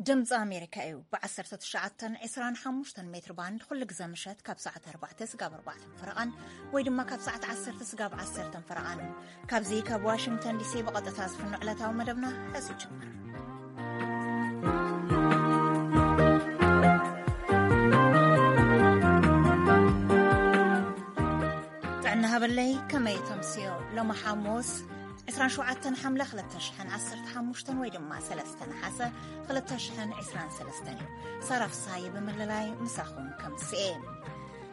ድምፂ ኣሜሪካ እዩ። ብ19፣ 25 ሜትር ባንድ ኩሉ ግዘ ምሸት ካብ ሰዓት 4 ስጋብ 4 ፈረቓን ወይ ድማ ካብ ሰዓት 10 ስጋብ 10 ፈረቓን፣ ካብዚ ካብ ዋሽንግተን ዲሲ ብቐጥታ ዝፍኖ ዕለታዊ መደብና ሕዚ ይጅምር። ጥዕና ሃበለይ፣ ከመይ ተምስዮ? ሎሚ ሓሙስ 27 ሓምለ 2015 ወይ ድማ 3 ነሓሰ 2023 እዩ። ሳራ ፍሳሐ ብምልላይ ምሳኹም ከምስኤ።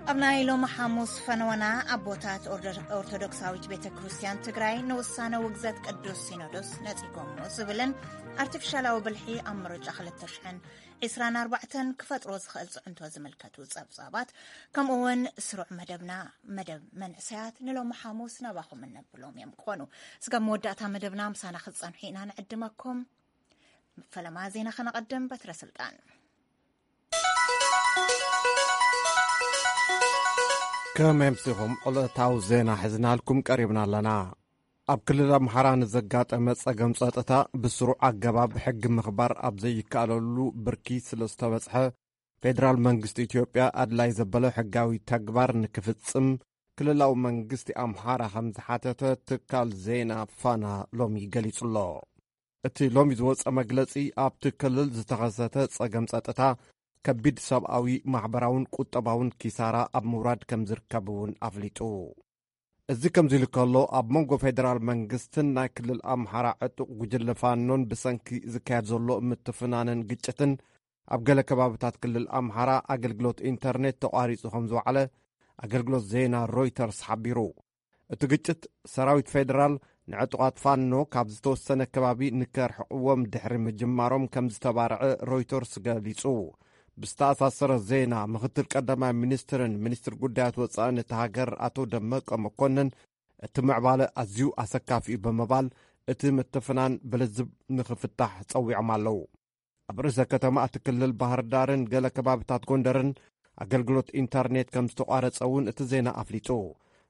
ኣብ ናይ ሎሚ ሓሙስ ፈነወና፣ ኣቦታት ኦርዶ-፣ ኦርቶዶክሳዊት ቤተ ክርስቲያን ትግራይ ንውሳነ ውግዘት ቅዱስ ሲኖዶስ ነጺጎሞ ዝብልን ኣርቲፊሻላዊ ብልሒ ኣብ ምርጫ 2024 ክፈጥሮ ዝኽእል ጽዕንቶ ዝምልከቱ ጸብጻባት፣ ከምኡ እውን ስሩዕ መደብና፣ መደብ መንእሰያት ንሎሚ ሓሙስ ናባኹም እነብሎም እዮም ክኾኑ። ስጋብ መወዳእታ መደብና ምሳና ክትጸንሑ ኢና ንዕድመኩም። ፈለማ ዜና ከነቐድም። በትረ ስልጣን። ከመይ ኣምሲኹም? ዕለታዊ ዜና ሒዝናልኩም ቀሪብና ኣለና። ኣብ ክልል ኣምሓራ ንዘጋጠመ ጸገም ጸጥታ ብስሩዕ ኣገባብ ሕጊ ምኽባር ኣብ ዘይከኣለሉ ብርኪ ስለ ዝተበጽሐ፣ ፌደራል መንግስቲ ኢትዮጵያ ኣድላይ ዘበለ ሕጋዊ ተግባር ንክፍጽም ክልላዊ መንግስቲ ኣምሓራ ከም ዝሓተተ ትካል ዜና ፋና ሎሚ ገሊጹ ኣሎ። እቲ ሎሚ ዝወጸ መግለጺ፣ ኣብቲ ክልል ዝተኸሰተ ጸገም ጸጥታ ከቢድ ሰብኣዊ፣ ማሕበራውን ቁጠባውን ኪሳራ ኣብ ምውራድ ከም ዝርከብ እውን ኣፍሊጡ። እዚ ከምዚ ኢሉ ከሎ፣ ኣብ መንጎ ፌደራል መንግስትን ናይ ክልል ኣምሓራ ዕጡቕ ጉጅለ ፋኖን ብሰንኪ ዝካየድ ዘሎ ምትፍናንን ግጭትን፣ ኣብ ገለ ከባብታት ክልል ኣምሓራ ኣገልግሎት ኢንተርኔት ተቋሪጹ ከም ዝወዓለ ኣገልግሎት ዜና ሮይተርስ ሓቢሩ። እቲ ግጭት፣ ሰራዊት ፌደራል ንዕጡቓት ፋኖ ካብ ዝተወሰነ ከባቢ ንከርሕቕዎም ድሕሪ ምጅማሮም ከም ዝተባርዐ ሮይተርስ ገሊጹ። ብዝተኣሳሰረ ዜና፣ ምኽትል ቀዳማይ ሚኒስትርን ሚኒስትር ጉዳያት ወጻእን እታ ሃገር ኣቶ ደመቀ መኮንን፣ እቲ ምዕባለ ኣዝዩ ኣሰካፊ እዩ ብምባል፣ እቲ ምትፍናን ብልዝብ ንኽፍታሕ ጸዊዖም ኣለዉ። ኣብ ርእሰ ከተማ እቲ ክልል ባህር ዳርን ገለ ከባብታት ጎንደርን ኣገልግሎት ኢንተርኔት ከም ዝተቋረጸ እውን እቲ ዜና ኣፍሊጡ።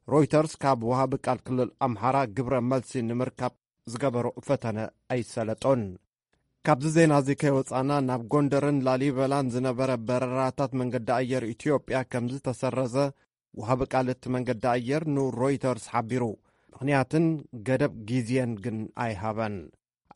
ሮይተርስ ካብ ወሃቢ ቃል ክልል ኣምሓራ ግብረ መልሲ ንምርካብ ዝገበሮ ፈተነ ኣይሰለጦን። ካብዚ ዜና እዚ ከይወጻና፣ ናብ ጎንደርን ላሊበላን ዝነበረ በረራታት መንገዲ ኣየር ኢትዮጵያ ከም ዝተሰረዘ ወሃቢ ቃል እቲ መንገዲ ኣየር ንሮይተርስ ሓቢሩ። ምኽንያትን ገደብ ግዜን ግን ኣይሃበን።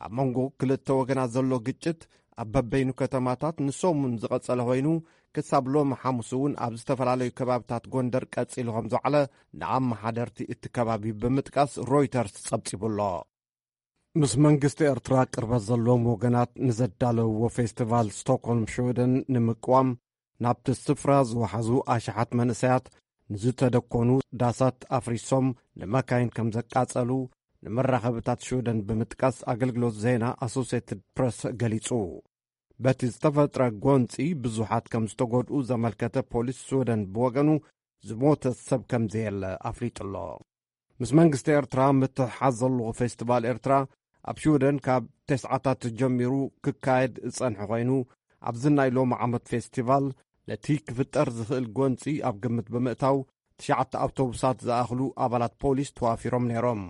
ኣብ መንጎ ክልተ ወገናት ዘሎ ግጭት ኣብ በበይኑ ከተማታት ንሰሙን ዝቐጸለ ኮይኑ፣ ክሳብ ሎሚ ሓሙስ እውን ኣብ ዝተፈላለዩ ከባብታት ጎንደር ቀጺሉ ከም ዝወዓለ ንኣመሓደርቲ እቲ ከባቢ ብምጥቃስ ሮይተርስ ጸብጺቡ ኣሎ። ምስ መንግስቲ ኤርትራ ቅርበት ዘለዎም ወገናት ንዘዳለውዎ ፌስቲቫል ስቶክሆልም ሽወደን ንምቅዋም ናብቲ ስፍራ ዝወሓዙ ኣሽሓት መንእሰያት ንዝተደኮኑ ዳሳት ኣፍሪሶም ንመካይን ከም ዘቃጸሉ ንመራኸብታት ሽወደን ብምጥቃስ ኣገልግሎት ዜና ኣሶሴትድ ፕረስ ገሊጹ። በቲ ዝተፈጥረ ጎንጺ ብዙሓት ከም ዝተጎድኡ ዘመልከተ ፖሊስ ሽወደን ብወገኑ ዝሞተ ሰብ ከም ዘየለ ኣፍሊጡ ኣሎ። ምስ መንግስቲ ኤርትራ ምትሕሓዝ ዘለዎ ፌስቲቫል ኤርትራ ኣብ ሽወደን ካብ ተስዓታት ጀሚሩ ክካየድ ዝጸንሐ ኮይኑ፣ ኣብዚ ናይ ሎሚ ዓመት ፌስቲቫል ነቲ ክፍጠር ዝኽእል ጎንጺ ኣብ ግምት ብምእታው ትሽዓተ ኣውቶቡሳት ዝኣኽሉ ኣባላት ፖሊስ ተዋፊሮም ነይሮም።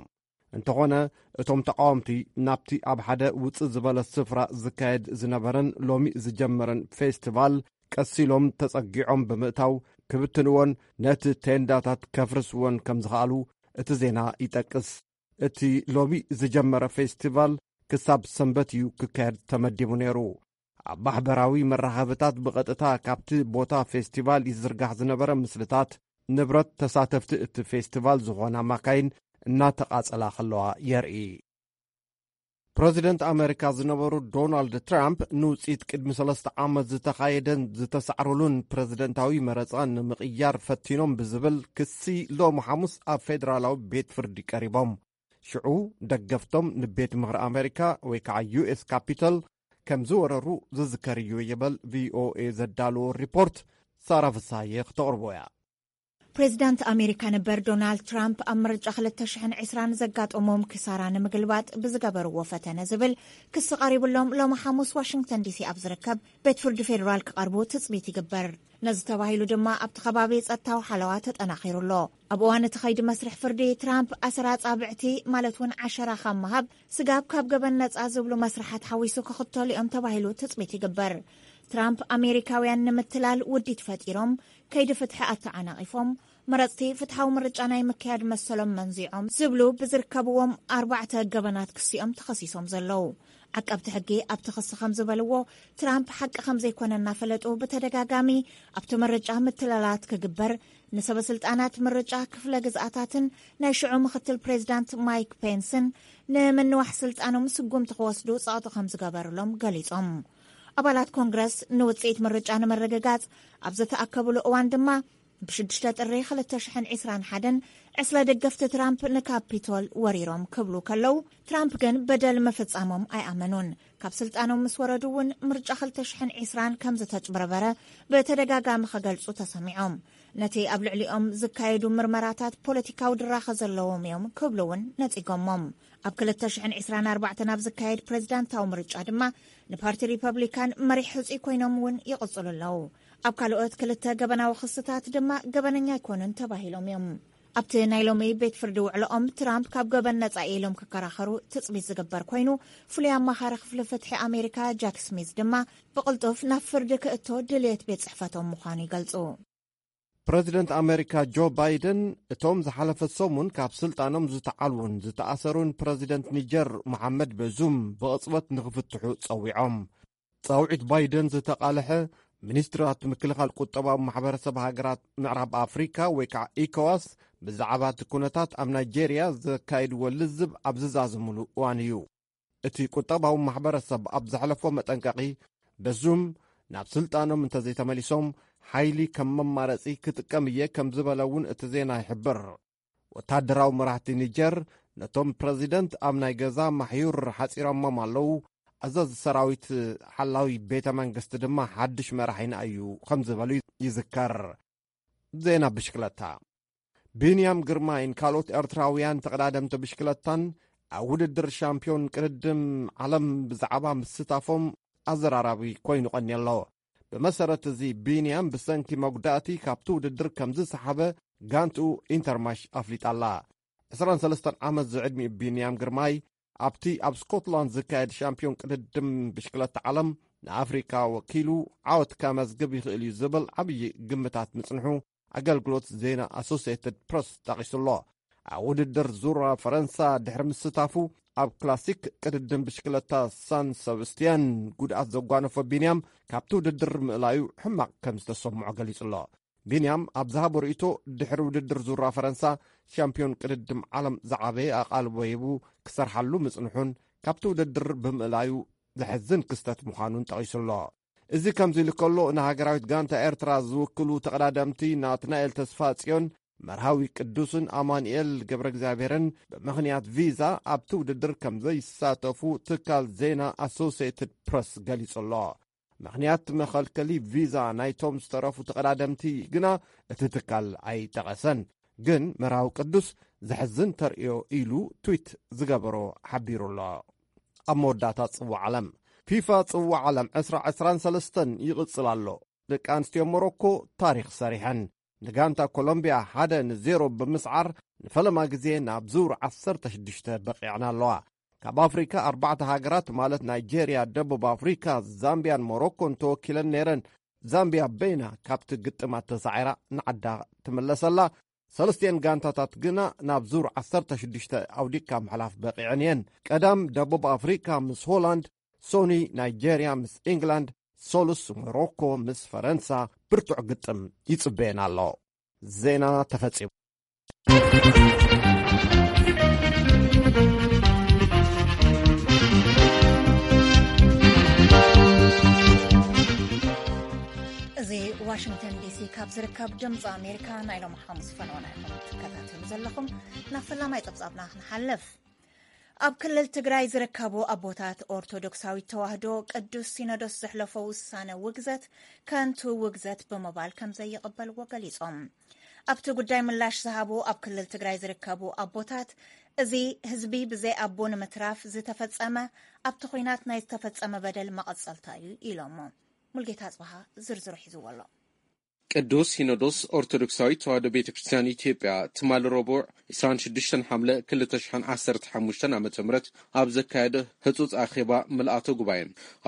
እንተኾነ፣ እቶም ተቓወምቲ ናብቲ ኣብ ሓደ ውጽእ ዝበለ ስፍራ ዝካየድ ዝነበረን ሎሚ ዝጀመረን ፌስቲቫል ቀስ ኢሎም ተጸጊዖም ብምእታው ክብትንዎን ነቲ ቴንዳታት ከፍርስዎን ከም ዝኸኣሉ እቲ ዜና ይጠቅስ። እቲ ሎሚ ዝጀመረ ፌስቲቫል ክሳብ ሰንበት እዩ ክካየድ ተመዲቡ ነይሩ። ኣብ ማሕበራዊ መራኸብታት ብቐጥታ ካብቲ ቦታ ፌስቲቫል ይዝርጋሕ ዝነበረ ምስልታት፣ ንብረት ተሳተፍቲ እቲ ፌስቲቫል ዝኾና ማካይን እናተቓጸላ ከለዋ የርኢ። ፕረዚደንት ኣመሪካ ዝነበሩ ዶናልድ ትራምፕ፣ ንውጽኢት ቅድሚ ሰለስተ ዓመት ዝተኻየደን ዝተሳዕረሉን ፕረዚደንታዊ መረጻ ንምቕያር ፈቲኖም ብዝብል ክሲ፣ ሎሚ ሓሙስ ኣብ ፌደራላዊ ቤት ፍርዲ ቀሪቦም። ሽዑ፣ ደገፍቶም ንቤት ምኽሪ ኣመሪካ ወይ ከዓ ዩ ኤስ ካፒተል ከም ዝወረሩ ዝዝከር እዩ ይብል ቪ ኦ ኤ ዘዳለዎ ሪፖርት። ሳራ ፍሳዬ ክተቕርቦ እያ። ፕሬዚዳንት ኣሜሪካ ነበር ዶናልድ ትራምፕ ኣብ ምርጫ ክልተ ሽሕን ዕስራን ዘጋጠሞም ክሳራ ንምግልባጥ ብዝገበርዎ ፈተነ ዝብል ክሲ ቀሪብሎም፣ ሎሚ ሓሙስ ዋሽንግተን ዲሲ ኣብ ዝርከብ ቤት ፍርዲ ፌዴራል ክቐርቡ ትጽቢት ይግበር። ነዚ ተባሂሉ ድማ ኣብቲ ከባቢ ጸጥታዊ ሓለዋ ተጠናኺሩ ኣሎ። ኣብ እዋን እቲ ከይዲ መስርሕ ፍርዲ፣ ትራምፕ ኣሰር ኣጻብዕቲ፣ ማለት እውን ዓሸራ ካብ ምሃብ፣ ስጋብ ካብ ገበን ነጻ ዝብሉ መስርሓት ሓዊሱ ክኽተሉ እዮም ተባሂሉ ትጽቢት ይግበር። ትራምፕ ኣሜሪካውያን ንምትላል ውዲት ፈጢሮም፣ ከይዲ ፍትሒ ኣተዓናቒፎም፣ መረጽቲ ፍትሓዊ ምርጫ ናይ ምክያድ መሰሎም መንዚዖም ዝብሉ ብዝርከብዎም ኣርባዕተ ገበናት ክሲኦም ተኸሲሶም ዘለዉ። ዓቀብቲ ሕጊ ኣብቲ ክሲ ከም ዝበልዎ፣ ትራምፕ ሓቂ ከም ዘይኮነ እናፈለጡ ብተደጋጋሚ ኣብቲ ምርጫ ምትላላት ክግበር፣ ንሰበ ስልጣናት ምርጫ ክፍለ ግዝኣታትን ናይ ሽዑ ምክትል ፕሬዚዳንት ማይክ ፔንስን ንምንዋሕ ስልጣኖም ስጉምቲ ክወስዱ ጸቕጢ ከም ዝገበርሎም ገሊጾም። ኣባላት ኮንግረስ ንውጽኢት ምርጫ ንምርግጋጽ ኣብ ዝተኣከብሉ እዋን ድማ፣ ብሽዱሽተ ጥሪ ክልተ ሽሕን ዕስራን ሓደን ዕስለ ደገፍቲ ትራምፕ ንካፒቶል ወሪሮም ክብሉ ከለዉ፣ ትራምፕ ግን በደል ምፍጻሞም ኣይኣመኑን። ካብ ስልጣኖም ምስ ወረዱ እውን ምርጫ ክልተ ሽሕን ዕስራን ከም ዝተጭበረበረ ብተደጋጋሚ ክገልጹ ተሰሚዖም። ነቲ ኣብ ልዕሊኦም ዝካየዱ ምርመራታት ፖለቲካዊ ድራኸ ዘለዎም እዮም ክብሉ እውን ነጺጎሞም። ኣብ ክልተ ሽሕን ዕስራን ኣርባዕተን ኣብ ዝካየድ ፕሬዚዳንታዊ ምርጫ ድማ ንፓርቲ ሪፐብሊካን መሪሕ ሕጹይ ኮይኖም እውን ይቕጽሉ ኣለዉ። ኣብ ካልኦት ክልተ ገበናዊ ክስታት ድማ ገበነኛ ኣይኮኑን ተባሂሎም እዮም። ኣብቲ ናይ ሎሚ ቤት ፍርዲ ውዕሎኦም፣ ትራምፕ ካብ ገበን ነጻ ኢሎም ክከራኸሩ ትጽቢት ዝግበር ኮይኑ፣ ፍሉይ ኣማኻሪ ክፍሊ ፍትሒ ኣሜሪካ ጃክ ስሚዝ ድማ ብቕልጡፍ ናብ ፍርዲ ክእቶ ድልየት ቤት ጽሕፈቶም ምዃኑ ይገልጹ። ፕረዚደንት ኣሜሪካ ጆ ባይደን፣ እቶም ዝሓለፈ ሰሙን ካብ ስልጣኖም ዝተዓልዉን ዝተኣሰሩን ፕረዚደንት ኒጀር መሓመድ በዙም ብቕጽበት ንኽፍትሑ ጸዊዖም። ጻውዒት ባይደን ዝተቓልሐ፣ ሚኒስትራት ምክልኻል ቁጠባዊ ማሕበረሰብ ሃገራት ምዕራብ ኣፍሪካ ወይ ከዓ ኢኮዋስ ብዛዕባ እቲ ኩነታት ኣብ ናይጄርያ ዘካይድዎ ልዝብ ኣብ ዝዛዘምሉ እዋን እዩ። እቲ ቁጠባዊ ማሕበረሰብ ኣብ ዘሕለፎ መጠንቀቒ፣ በዙም ናብ ስልጣኖም እንተዘይተመሊሶም፣ ሓይሊ ከም መማረፂ ክጥቀም እየ ከም ዝበለ እውን እቲ ዜና ይሕብር። ወታደራዊ መራሕቲ ኒጀር፣ ነቶም ፕረዚደንት ኣብ ናይ ገዛ ማሕዩር ሓፂሮሞም ኣለዉ። ኣዛዚ ሰራዊት ሓላዊ ቤተ መንግስቲ ድማ ሓድሽ መራሒና እዩ ከም ዝበሉ ይዝከር። ዜና ብሽክለታ። ቢንያም ግርማይን ካልኦት ኤርትራውያን ተቐዳደምቲ ብሽክለታን ኣብ ውድድር ሻምፒዮን ቅድድም ዓለም ብዛዕባ ምስታፎም ኣዘራራቢ ኮይኑ ቀንየ ኣሎ። ብመሰረት እዚ፣ ቢንያም ብሰንኪ መጉዳእቲ ካብቲ ውድድር ከም ዝሰሓበ ጋንትኡ ኢንተርማሽ ኣፍሊጣ ኣላ። ዕስራን ሰለስተን ዓመት ዝዕድሚኡ ቢንያም ግርማይ፣ ኣብቲ ኣብ ስኮትላንድ ዝካየድ ሻምፒዮን ቅድድም ብሽክለታ ዓለም ንኣፍሪካ ወኪሉ ዓወት ከመዝግብ ይኽእል እዩ ዝብል ዓብዪ ግምታት ምጽንሑ ኣገልግሎት ዜና ኣሶሲየትድ ፕረስ ጠቒሱ ኣሎ። ኣብ ውድድር ዙራ ፈረንሳ ድሕሪ ምስታፉ፣ ኣብ ክላሲክ ቅድድም ብሽክለታ ሳን ሰብስቲያን ጉድኣት ዘጓነፎ ቢንያም፣ ካብቲ ውድድር ምእላዩ ሕማቕ ከም ዝተሰምዖ ገሊጹ ኣሎ። ቢንያም ኣብ ዝሃቦ ርእይቶ፣ ድሕሪ ውድድር ዙራ ፈረንሳ፣ ሻምፒዮን ቅድድም ዓለም ዝዓበየ ኣቓልቦ ሂቡ ክሰርሓሉ ምጽንሑን ካብቲ ውድድር ብምእላዩ ዘሕዝን ክስተት ምዃኑን ጠቒሱ ኣሎ። እዚ ከምዚ ኢሉ ከሎ፣ ንሃገራዊት ጋንታ ኤርትራ ዝውክሉ ተቐዳደምቲ ናትናኤል ተስፋጽዮን፣ መርሃዊ ቅዱስን ኣማኑኤል ገብረ እግዚኣብሔርን ብምኽንያት ቪዛ ኣብቲ ውድድር ከም ዘይሳተፉ ትካል ዜና ኣሶሲየትድ ፕረስ ገሊጹ ኣሎ። ምኽንያት መኸልከሊ ቪዛ ናይቶም ዝተረፉ ተቐዳደምቲ ግና እቲ ትካል ኣይጠቐሰን። ግን መርሃዊ ቅዱስ ዘሕዝን ተርእዮ ኢሉ ትዊት ዝገበሮ ሓቢሩ ኣሎ። ኣብ መወዳእታ ጽዋዕ ዓለም። ፊፋ ጽዋዕ ዓለም ዕስራ ዕስራን ሰለስተን ይቕጽል ኣሎ። ደቂ ኣንስትዮ ሞሮኮ ታሪኽ ሰሪሐን። ንጋንታ ኮሎምቢያ ሓደ ንዜሮ ብምስዓር ንፈለማ ግዜ ናብ ዙር ዓሰርተ ሽዱሽተ በቒዐን ኣለዋ። ካብ ኣፍሪካ ኣርባዕተ ሃገራት ማለት ናይጄርያ፣ ደቡብ ኣፍሪካ፣ ዛምቢያን ሞሮኮን ተወኪለን ነይረን። ዛምቢያ በይና ካብቲ ግጥማት ተሳዒራ ንዓዳ ትምለሰላ። ሰለስቲኤን ጋንታታት ግና ናብ ዙር ዓሰርተ ሽዱሽተ ኣውዲቕካ ምሕላፍ በቒዐን እየን። ቀዳም ደቡብ ኣፍሪካ ምስ ሆላንድ፣ ሶኒ ናይጄርያ ምስ ኢንግላንድ፣ ሶሉስ ሞሮኮ ምስ ፈረንሳ ብርቱዕ ግጥም ይጽበየን ኣሎ። ዜና ተፈጺሙ። እዚ ዋሽንግተን ዲሲ ካብ ዝርከብ ድምፂ ኣሜሪካ ናይ ሎም ሓሙስ ፈነወና ኢኹም ትከታተሉ ዘለኹም። ናብ ፈላማይ ፀብፃብና ክንሓልፍ። ኣብ ክልል ትግራይ ዝርከቡ ኣቦታት ኦርቶዶክሳዊት ተዋህዶ ቅዱስ ሲኖዶስ ዘሕለፎ ውሳነ ውግዘት ከንቱ ውግዘት ብምባል ከም ዘይቕበልዎ ገሊጾም። ኣብቲ ጉዳይ ምላሽ ዝሃቡ ኣብ ክልል ትግራይ ዝርከቡ ኣቦታት፣ እዚ ህዝቢ ብዘይ ኣቦ ንምትራፍ ዝተፈጸመ፣ ኣብቲ ኹናት ናይ ዝተፈጸመ በደል መቐጸልታ እዩ ኢሎሞ። ሙልጌታ ኣጽብሃ ዝርዝሩ ሒዝዎ ኣሎ። ቅዱስ ሲኖዶስ ኦርቶዶክሳዊት ተዋሕዶ ቤተ ክርስቲያን ኢትዮጵያ ትማሊ ረቡዕ ዕስራን ሽዱሽተን ሓምለ ክልተ ሽሕን ዓሰርተ ሓሙሽተን ዓመተ ምህረት ኣብ ዘካየደ ህጹጽ ኣኼባ ምልኣተ ጉባኤ፣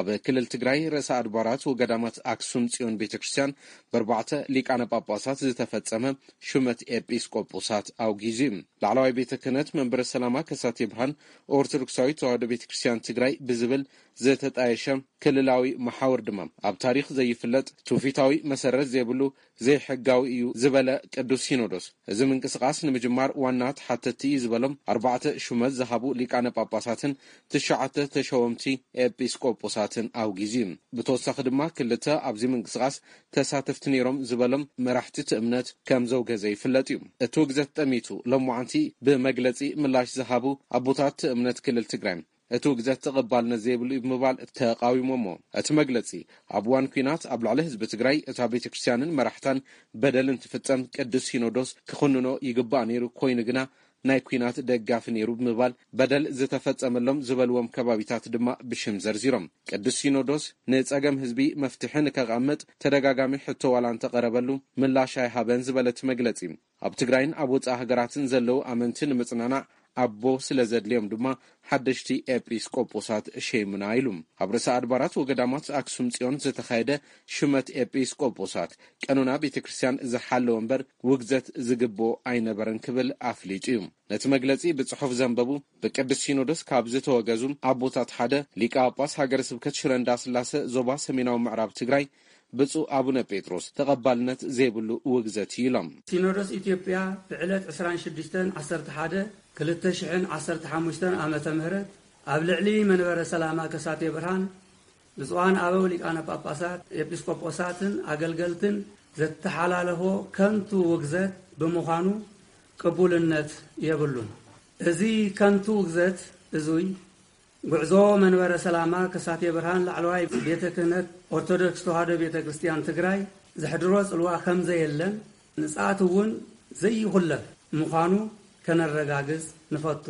ኣብ ክልል ትግራይ ርእሰ ኣድባራት ወገዳማት ኣክሱም ጽዮን ቤተ ክርስቲያን ብኣርባዕተ ሊቃነ ጳጳሳት ዝተፈጸመ ሹመት ኤጲስቆጶሳት ኣውጊዙ እዩ። ላዕለዋይ ቤተ ክህነት መንበረ ሰላማ ከሳቴ ብርሃን ኦርቶዶክሳዊት ተዋሕዶ ቤተ ክርስቲያን ትግራይ ብዝብል ዝተጣየሸ ክልላዊ መሓውር ድማ፣ ኣብ ታሪኽ ዘይፍለጥ ትውፊታዊ መሰረት ዘይብሉ ዘይሕጋዊ እዩ ዝበለ ቅዱስ ሲኖዶስ፣ እዚ ምንቅስቓስ ንምጅማር ዋና ተሓተትቲ እዩ ዝበሎም ኣርባዕተ ሹመት ዝሃቡ ሊቃነ ጳጳሳትን ትሽዓተ ተሸወምቲ ኤጲስቆጶሳትን ኣውጊዙ እዩ። ብተወሳኺ ድማ ክልተ ኣብዚ ምንቅስቓስ ተሳተፍቲ ነይሮም ዝበሎም መራሕቲ እቲ እምነት ከም ዘውገዘ ይፍለጥ እዩ። እቲ ውግዘት ጠሚቱ ሎማዓንቲ ብመግለጺ ምላሽ ዝሃቡ ኣቦታት እቲ እምነት ክልል ትግራይ፣ እቲ ውግዘት ተቐባልነት ዘይብሉ እዩ ብምባል ተቃዊሞሞ። እቲ መግለጺ፣ ኣብ እዋን ኲናት ኣብ ልዕሊ ህዝቢ ትግራይ እታ ቤተ ክርስቲያንን መራሕታን በደል እንትፍጸም ቅዱስ ሲኖዶስ ክኹንኖ ይግባእ ነይሩ፣ ኮይኑ ግና ናይ ኲናት ደጋፊ ነይሩ ብምባል በደል ዝተፈጸመሎም ዝበልዎም ከባቢታት ድማ ብሽም ዘርዚሮም። ቅዱስ ሲኖዶስ ንጸገም ህዝቢ መፍትሒ ንከቐምጥ ተደጋጋሚ ሕቶ ዋላ እንተቐረበሉ ምላሽ ኣይሃበን ዝበለ እቲ መግለጺ፣ ኣብ ትግራይን ኣብ ወጻኢ ሃገራትን ዘለዉ ኣመንቲ ንምጽናናዕ ኣቦ ስለ ዘድልዮም ድማ ሓደሽቲ ኤጲስቆጶሳት ሸይሙና ኢሉ። ኣብ ርእሰ ኣድባራት ወገዳማት ኣክሱም ጽዮን ዝተኻየደ ሹመት ኤጲስቆጶሳት ቀኖና ቤተ ክርስቲያን ዝሓለወ እምበር ውግዘት ዝግብኦ ኣይነበረን ክብል ኣፍሊጡ እዩ። ነቲ መግለጺ ብጽሑፍ ዘንበቡ ብቅዱስ ሲኖዶስ ካብ ዝተወገዙ ኣቦታት ሓደ ሊቀ ጳጳስ ሃገረ ስብከት ሽረ እንዳስላሰ ዞባ ሰሜናዊ ምዕራብ ትግራይ ብፁዕ ኣቡነ ጴጥሮስ ተቐባልነት ዘይብሉ ውግዘት እዩ ኢሎም። ሲኖዶስ ኢትዮጵያ ብዕለት ዕስራን ሽዱሽተን ዓሰርተ ሓደ ክልተ ሽሕን ዓሰርተ ሓሙሽተን ዓመተ ምህረት ኣብ ልዕሊ መንበረ ሰላማ ከሳቴ ብርሃን ብፁዓን ኣበው ሊቃነ ጳጳሳት፣ ኤጲስቆጶሳትን ኣገልገልትን ዘተሓላለፎ ከንቱ ውግዘት ብምዃኑ ቅቡልነት የብሉን። እዚ ከንቱ ውግዘት እዙይ ጉዕዞ መንበረ ሰላማ ከሳቴ ብርሃን ላዕለዋይ ቤተ ክህነት ኦርቶዶክስ ተዋህዶ ቤተ ክርስቲያን ትግራይ ዘሕድሮ ጽልዋ ከም ዘየለን ንጽኣቱ እውን ዘይኹለፍ ምዃኑ ከነረጋግጽ ንፈቱ።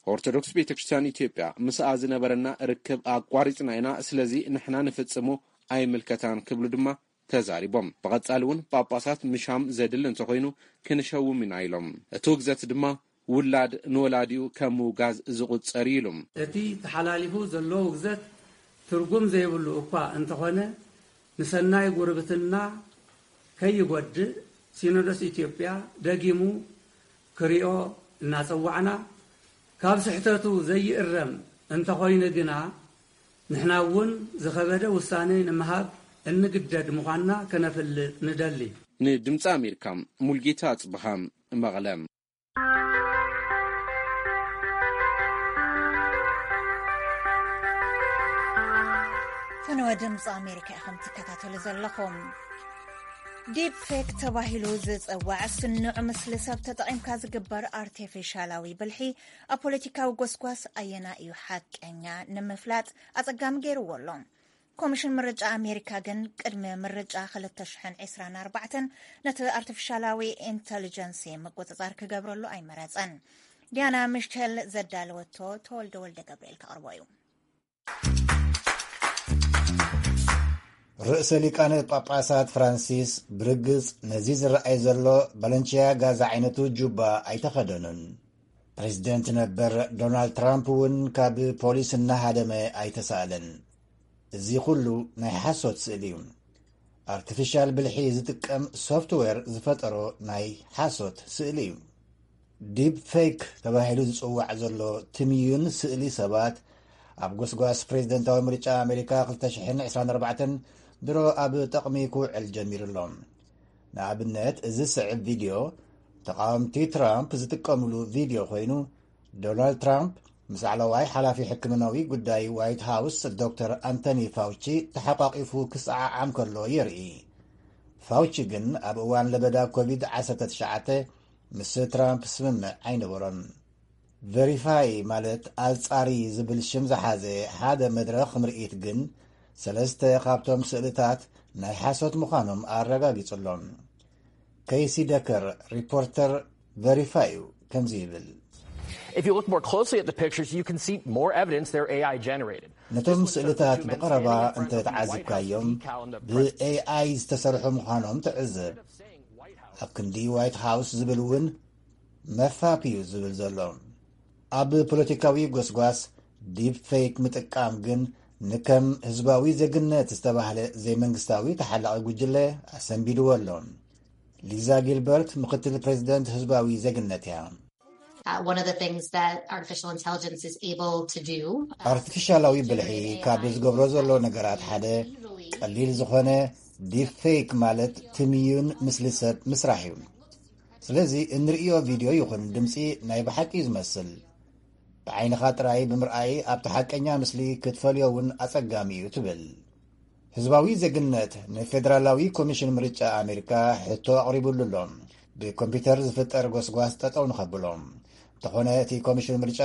ኦርቶዶክስ ቤተ ክርስቲያን ኢትዮጵያ ምስኣ ዝነበረና ርክብ ኣቋሪጽና ኢና፣ ስለዚ ንሕና ንፍጽሞ ኣይምልከታን ክብሉ ድማ ተዛሪቦም። ብቐጻሊ እውን ጳጳሳት ምሻም ዘድሊ እንተኾይኑ ክንሸውም ኢና ኢሎም። እቲ ውግዘት ድማ ውላድ ንወላዲኡ ከም ምውጋዝ ዝቑጸር እዩ ኢሉ። እቲ ተሓላሊፉ ዘሎ ውግዘት ትርጉም ዘይብሉ እኳ እንተኾነ፣ ንሰናይ ጉርብትና ከይጎድእ ሲኖዶስ ኢትዮጵያ ደጊሙ ክሪኦ እናጸዋዕና፣ ካብ ስሕተቱ ዘይእረም እንተኾይኑ ግና፣ ንሕና እውን ዝኸበደ ውሳኔ ንምሃብ እንግደድ ምዃንና ከነፍልጥ ንደሊ። ንድምፂ ኣሜሪካ፣ ሙልጌታ ኣጽብሃ፣ መቐለ። ፈነወ ድምፂ ኣሜሪካ ኢኹም ትከታተሉ ዘለኹም። ዲፕ ፌክ ተባሂሉ ዝጽዋዕ ስኑዕ ምስሊ ሰብ ተጠቒምካ ዝግበር ኣርቴፊሻላዊ ብልሒ ኣብ ፖለቲካዊ ጎስጓስ ኣየና እዩ ሓቀኛ ንምፍላጥ ኣጸጋሚ ገይርዎ ኣሎ። ኮሚሽን ምርጫ ኣሜሪካ ግን ቅድሚ ምርጫ ክልተ ሽሕን ዕስራን ኣርባዕተን ነቲ ኣርቲፊሻላዊ ኢንተሊጀንሲ ምቁጽጻር ክገብረሉ ኣይመረጸን። ዲያና ሚሸል ዘዳለወቶ ተወልደ ወልደ ገብርኤል ከቕርቦ እዩ። ርእሰ ሊቃነ ጳጳሳት ፍራንሲስ ብርግጽ ነዚ ዝረኣይ ዘሎ ባለንቺያጋ ዝዓይነቱ ጁባ ኣይተኸደኑን። ፕሬዝደንት ነበር ዶናልድ ትራምፕ እውን ካብ ፖሊስ እናሃደመ ኣይተሳእለን። እዚ ኩሉ ናይ ሓሶት ስእሊ እዩ። ኣርቲፊሻል ብልሒ ዝጥቀም ሶፍትዌር ዝፈጠሮ ናይ ሓሶት ስእሊ እዩ። ዲፕ ፌክ ተባሂሉ ዝጽዋዕ ዘሎ ትምዩን ስእሊ ሰባት ኣብ ጎስጓስ ፕሬዝደንታዊ ምርጫ ኣሜሪካ ክልተ ሽሕን ዕስራን ኣርባዕተን ድሮ ኣብ ጠቕሚ ክውዕል ጀሚሩ ኣሎ። ንኣብነት፣ እዚ ዝስዕብ ቪድዮ ተቓወምቲ ትራምፕ ዝጥቀምሉ ቪድዮ ኮይኑ፣ ዶናልድ ትራምፕ ምስ ላዕለዋይ ሓላፊ ሕክምናዊ ጉዳይ ዋይት ሃውስ ዶክተር ኣንቶኒ ፋውቺ ተሓቋቒፉ ክሰዓዓም ከሎ የርኢ። ፋውቺ ግን ኣብ እዋን ለበዳ ኮቪድ ዓሰርተ ትሽዓተ ምስ ትራምፕ ስምምዕ ኣይነበሮን። ቨሪፋይ ማለት ኣጻሪ ዝብል ሽም ዝሓዘ ሓደ መድረኽ ምርኢት ግን ሰለስተ ካብቶም ስእልታት ናይ ሓሶት ምዃኖም ኣረጋጊጹ ኣሎ። ከይሲ ደከር፣ ሪፖርተር ቨሪፋይ እዩ፣ ከምዚ ይብል። If you look more closely at the pictures, you can see more evidence they're A I generated. ነቶም ስእልታት ብቐረባ እንተ ተዓዚብካዮም፣ ብኤኣይ ዝተሰርሑ ምዃኖም ትዕዘብ። ኣብ ክንዲ ዋይት ሃውስ ዝብል እውን መፋፕ እዩ ዝብል ዘሎ። ኣብ ፖለቲካዊ ጎስጓስ ዲፕ ፌክ ምጥቃም ግን ንከም ህዝባዊ ዜግነት ዝተባህለ ዘይመንግስታዊ ተሓላቒ ጉጅለ ኣሰንቢድዎ ኣሎ። ሊዛ ጊልበርት ምክትል ፕሬዚደንት ህዝባዊ ዜግነት እያ። Uh, one of the things that artificial intelligence is able to do. ኣርቲፊሻላዊ ብልሒ ካብ ዝገብሮ ዘሎ ነገራት ሓደ ቀሊል ዝኾነ ዲፕ ፌክ ማለት ትምዩን ምስሊ ሰብ ምስራሕ እዩ። ስለዚ እንርእዮ ቪድዮ ይኹን ድምፂ ናይ ብሓቂ እዩ ዝመስል። ብዓይንኻ ጥራይ ብምርኣይ ኣብቲ ሓቀኛ ምስሊ ክትፈልዮ እውን ኣጸጋሚ እዩ ትብል። ህዝባዊ ዜግነት ንፌደራላዊ ኮሚሽን ምርጫ ኣሜሪካ ሕቶ ኣቕሪቡሉ ኣሎ፣ ብኮምፒውተር ዝፍጠር ጎስጓስ ጠጠው ንኸብሎ። እንተኾነ እቲ ኮሚሽን ምርጫ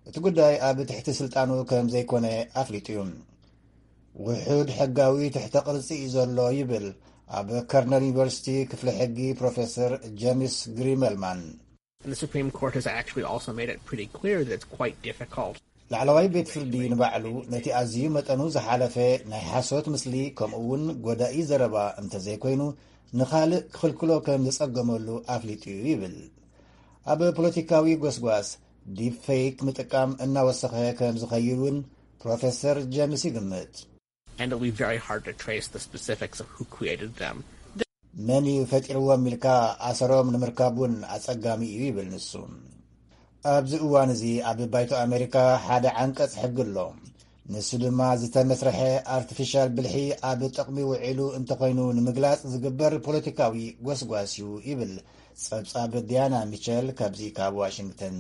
እቲ ጉዳይ ኣብ ትሕቲ ስልጣኑ ከም ዘይኮነ ኣፍሊጡ እዩ። ውሑድ ሕጋዊ ትሕተ ቅርጺ እዩ ዘሎ ይብል ኣብ ከርነል ዩኒቨርሲቲ ክፍሊ ሕጊ ፕሮፌሰር ጀምስ ግሪመልማን። And the Supreme Court has actually also made it pretty clear that it's quite difficult. ላዕለዋይ ቤት ፍርዲ ንባዕሉ ነቲ ኣዝዩ መጠኑ ዝሓለፈ ናይ ሓሶት ምስሊ ከምኡ እውን ጎዳኢ ዘረባ እንተዘይኮይኑ ንኻልእ ክኽልክሎ ከም ዝጸገመሉ ኣፍሊጡ እዩ ይብል። ኣብ ፖለቲካዊ ጎስጓስ ዲፕ ፌክ ምጥቃም እናወሰኸ ከም ዝኸይድ እውን ፕሮፌሰር ጀምስ ይግምት። And it'll be very hard to trace the specifics of who created them. መን እዩ ፈጢርዎም ኢልካ ኣሰሮም ንምርካብ እውን ኣጸጋሚ እዩ ይብል ንሱ። ኣብዚ እዋን እዚ ኣብ ባይቶ ኣሜሪካ ሓደ ዓንቀጽ ሕጊ ኣሎ። ንሱ ድማ ዝተመስርሐ ኣርቲፊሻል ብልሒ ኣብ ጥቕሚ ውዒሉ እንተኾይኑ ንምግላጽ ዝግበር ፖለቲካዊ ጎስጓስ እዩ ይብል ጸብጻብ ዲያና ሚቸል ካብዚ ካብ ዋሽንግተን።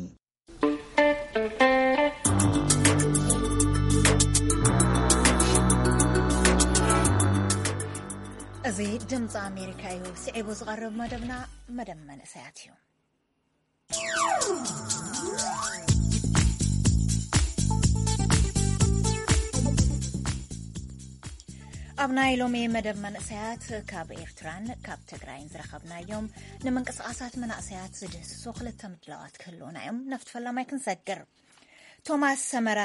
እዚ ድምፂ ኣሜሪካ እዩ። ስዒቡ ዝቐርብ መደብና መደብ መንእሰያት እዩ። ኣብ ናይ ሎሚ መደብ መንእሰያት ካብ ኤርትራን ካብ ትግራይን ዝረኸብናዮም ንምንቅስቓሳት መናእሰያት ዝድህስሱ ክልተ ምድላዋት ክህልውና እዮም። ናብቲ ፈላማይ ክንሰግር። ቶማስ ሰመረ፣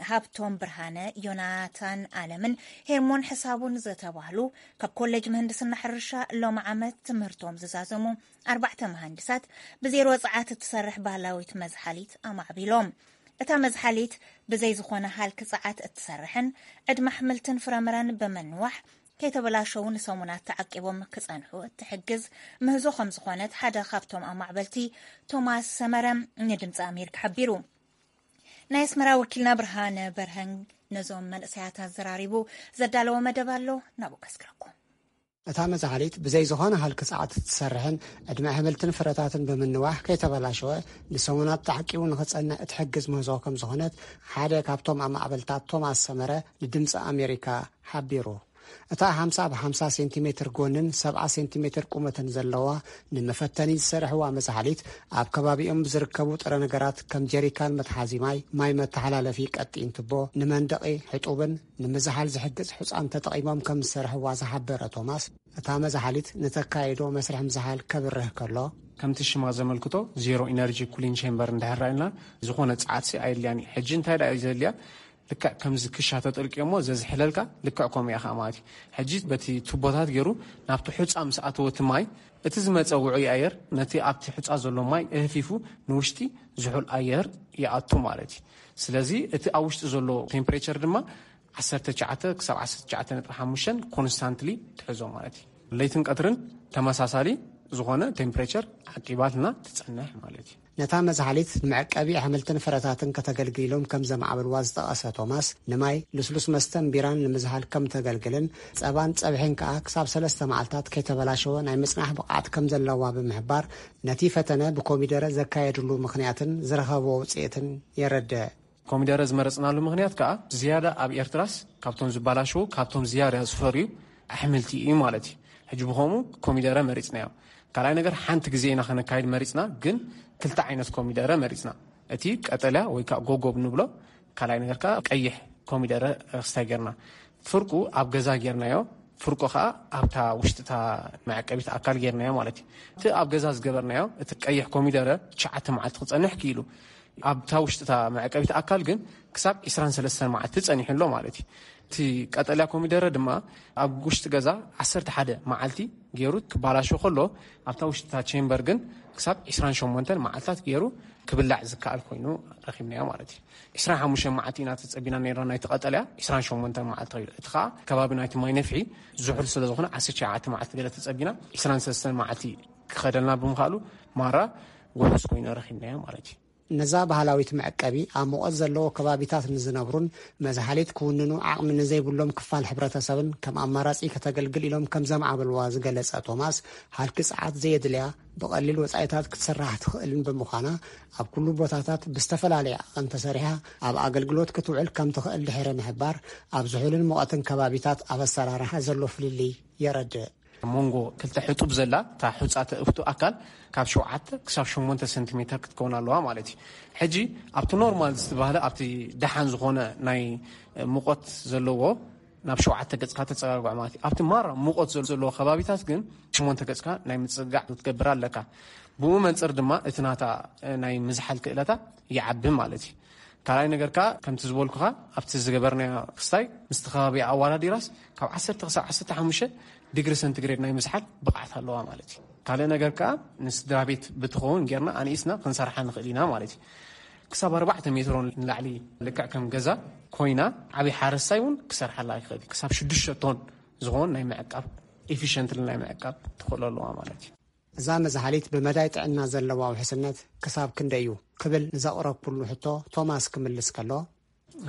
ሃብቶም ብርሃነ፣ ዮናታን ኣለምን ሄርሞን ሕሳቡን ዝተባህሉ ካብ ኮሌጅ ምህንድስና ሕርሻ ሎም ዓመት ትምህርቶም ዝዛዘሙ ኣርባዕተ መሃንድሳት ብዜሮ ጸዓት እትሰርሕ ባህላዊት መዝሓሊት ኣማዕቢሎም። እታ መዝሓሊት ብዘይ ዝኾነ ሃልኪ ጸዓት እትሰርሕን ዕድመ ኣሕምልትን ፍረምረን ብምንዋሕ ከይተበላሸዉ ንሰሙናት ተዓቂቦም ክጸንሑ እትሕግዝ ምህዞ ከም ዝኾነት ሓደ ካብቶም ኣማዕበልቲ ቶማስ ሰመረ ንድምፂ ኣሜሪካ ሓቢሩ። ናይ ኣስመራ ወኪልና ብርሃነ በርሀን ነዞም መንእሰያት ኣዘራሪቡ ዘዳለዎ መደብ ኣሎ፣ ናብኡ ከስግረኩም። እታ መዛሕሊት ብዘይ ዝኾነ ሃልኪ ጸዓት እትሰርሕን ዕድመ ኣሕምልትን ፍረታትን ብምንዋሕ ከይተበላሸወ ንሰሙናት ተዓቂቡ ንኽጸንሕ እትሕግዝ ምህዞ ከም ዝኾነት ሓደ ካብቶም ኣማዕበልታት ቶማስ ሰመረ ንድምፂ ኣሜሪካ ሓቢሩ። እታ ሓምሳ ብ ሓምሳ ሴንቲሜትር ጎንን ሰብዓ ሴንቲሜትር ቁመትን ዘለዋ ንመፈተኒ ዝሰርሕዋ መዛሕሊት ኣብ ከባቢኦም ብዝርከቡ ጥረ ነገራት ከም ጀሪካን መትሓዚ ማይ፣ ማይ መተሓላለፊ ቀጢን ቱቦ፣ ንመንደቒ ሕጡብን ንምዝሓል ዝሕግዝ ሑጻን ተጠቒሞም ከም ዝሰርሕዋ ዝሓበረ ቶማስ፣ እታ መዛሓሊት ንተካይዶ መስርሕ ምዝሓል ከብርህ ከሎ፣ ከምቲ ሽማ ዘመልክቶ ዜሮ ኢነርጂ ኩሊንግ ቼምበር እንድሕር ራኢልና ዝኾነ ጸዓትሲ ኣየድልያን እዩ። ሕጂ እንታይ ደኣ እዩ ዘድልያ? ልክዕ ከምዚ ክሻ ተጠልቅዮሞ ዘዝሕለልካ ልክዕ ከምኡ እያ ከዓ ማለት እዩ። ሕጂ በቲ ቱቦታት ገይሩ ናብቲ ሑፃ ምስ ኣተወ እቲ ማይ እቲ ዝመፀ ውዑይ ኣየር ነቲ ኣብቲ ሑፃ ዘሎ ማይ እህፊፉ ንውሽጢ ዝሑል ኣየር ይኣቱ ማለት እዩ። ስለዚ እቲ ኣብ ውሽጢ ዘሎ ቴምፕሬቸር ድማ ዓሰርተ ትሽዓተ ክሳብ ዓሰርተ ትሽዓተ ነጥቢ ሓሙሽተ ኮንስታንትሊ ትሕዞ ማለት እዩ። ለይትን ቀትርን ተመሳሳሊ ዝኾነ ቴምፕሬቸር ዓቂባትና ትፀንሕ ማለት እዩ። ነታ መዝሓሊት ንመዕቀቢ ኣሕምልትን ፍረታትን ከተገልግል ኢሎም ከም ዘማዕበልዋ ዝጠቐሰ ቶማስ፣ ንማይ፣ ልስሉስ መስተን ቢራን ንምዝሓል ከም ተገልግልን ጸባን ጸብሒን ከኣ ክሳብ ሰለስተ መዓልታት ከይተበላሸወ ናይ ምጽናሕ ብቕዓት ከም ዘለዋ ብምሕባር፣ ነቲ ፈተነ ብኮሚደረ ዘካየድሉ ምኽንያትን ዝረኸቦ ውጽኢትን የረድእ። ኮሚደረ ዝመረጽናሉ ምኽንያት ከኣ ዝያዳ ኣብ ኤርትራስ ካብቶም ዝበላሸዉ ካብቶም ዝያዳ ዝፈርዩ ኣሕምልቲ እዩ ማለት እዩ። ሕጂ ብኸምኡ ኮሚደረ መሪጽናዮ። ካልኣይ ነገር ሓንቲ ግዜ ኢና ከነካይድ መሪጽና፣ ግን ክልተ ዓይነት ኮሚደረ መሪጽና። እቲ ቀጠልያ ወይ ከዓ ጎጎብ ንብሎ፣ ካልኣይ ነገር ከዓ ቀይሕ ኮሚደረ ክስታይ ጌርና። ፍርቁ ኣብ ገዛ ጌርናዮ፣ ፍርቆ ከዓ ኣብታ ውሽጥታ መዕቀቢት ኣካል ጌርናዮ ማለት እዩ። እቲ ኣብ ገዛ ዝገበርናዮ እቲ ቀይሕ ኮሚደረ ትሽዓተ መዓልቲ ክጸንሕ ክኢሉ፣ ኣብታ ውሽጥታ መዕቀቢት ኣካል ግን ክሳብ ዕስራን ሰለስተን መዓልቲ ጸኒሑ ኣሎ ማለት እዩ። እቲ ቀጠልያ ኮሚደረ ድማ ኣብ ውሽጢ ገዛ ዓሰርተ ሓደ መዓልቲ ገይሩ ክባላሾ ከሎ፣ ኣብታ ውሽጥታ ቼምበር ግን ክሳብ ዕስራን ሸሞንተን መዓልታት ገይሩ ክብላዕ ዝከኣል ኮይኑ ረኺብናዮ ማለት እዩ። ዕስራን ሓሙሽተን መዓልቲ ኢና ተጸቢና ነይርና ናይቲ ቀጠልያ፣ ዕስራን ሸሞንተን መዓልቲ ኸይዱ። እቲ ኸኣ ከባቢ ናይቲ ማይ ነፍሒ ዝሑል ስለ ዝኾነ ዓሰርተ ትሽዓተ መዓልቲ ገለ ተጸቢና፣ ዕስራን ሰለስተን መዓልቲ ክኸደልና ብምኻሉ ማራ ውሑስ ኮይኑ ረኺብናዮ ማለት እዩ። ነዛ ባህላዊት መዕቀቢ ኣብ ሙቐት ዘለዎ ከባቢታት ንዝነብሩን መዝሓሊት ክውንኑ ዓቕሚ ንዘይብሎም ክፋል ሕብረተሰብን ከም ኣማራጺ ከተገልግል ኢሎም ከም ዘምዓበልዋ ዝገለጸ ቶማስ፣ ሃልኪ ጸዓት ዘየድልያ ብቐሊል ወጻኢታት ክትስራሕ ትኽእልን ብምዃና፣ ኣብ ኩሉ ቦታታት ብዝተፈላለየ ዓቐን ተሰሪሓ ኣብ ኣገልግሎት ክትውዕል ከም ትኽእል ድሕሪ ምሕባር፣ ኣብ ዝሑልን ሙቐትን ከባቢታት ኣብ ኣሰራርሓ ዘሎ ፍልልይ የረድእ። ኣብ መንጎ ክልተ ሕጡብ ዘላ እታ ሑጻ ተእፍቱ ኣካል ካብ ሸውዓተ ክሳብ ሸሞንተ ሰንቲሜተር ክትከውን ኣለዋ ማለት እዩ። ሕጂ ኣብቲ ኖርማል ዝተባህለ፣ ኣብቲ ደሓን ዝኾነ ናይ ሙቐት ዘለዎ ናብ ሸውዓተ ገጽካ ተጸጋግዖ ማለት እዩ። ኣብቲ ማራ ሙቐት ዘሎ፣ ዘለዎ ከባቢታት ግን ሸሞንተ ገጽካ ናይ ምጽጋዕ ክትገብር ኣለካ። ብኡ መንጽር ድማ እቲ ናታ ናይ ምዝሓል ክእለታ ይዓቢ ማለት እዩ። ካልኣይ ነገር ከኣ ከምቲ ዝበልኩኻ ኣብቲ ዝገበርናዮ ክስታይ ምስቲ ከባቢ ኣዋዳዲራስ ካብ ዓሰርተ ክሳብ ዓሰርተ ሓሙሽተ ዲግሪ ሰንቲግሬድ ናይ ምዝሓል ብቕዓት ኣለዋ ማለት እዩ። ካልእ ነገር ከኣ ንስድራ ቤት ብትኸውን ጌርና ኣንኢስና ክንሰርሓ ንኽእል ኢና ማለት እዩ። ክሳብ ኣርባዕተ ሜትሮ ንላዕሊ ልክዕ ከም ገዛ ኮይና ዓብዪ ሓረስታይ እውን ክሰርሓላ ይኽእል እዩ። ክሳብ ሽዱሽተ ቶን ዝኾን ናይ ምዕቃብ፣ ኤፊሽንትሊ ናይ ምዕቃብ ትኽእሎ ኣለዋ ማለት እዩ። እዛ መዝሓሊት ብመዳይ ጥዕና ዘለዋ ውሕስነት ክሳብ ክንደይ እዩ ክብል ንዘቕረብኩሉ ሕቶ ቶማስ ክምልስ ከሎ፣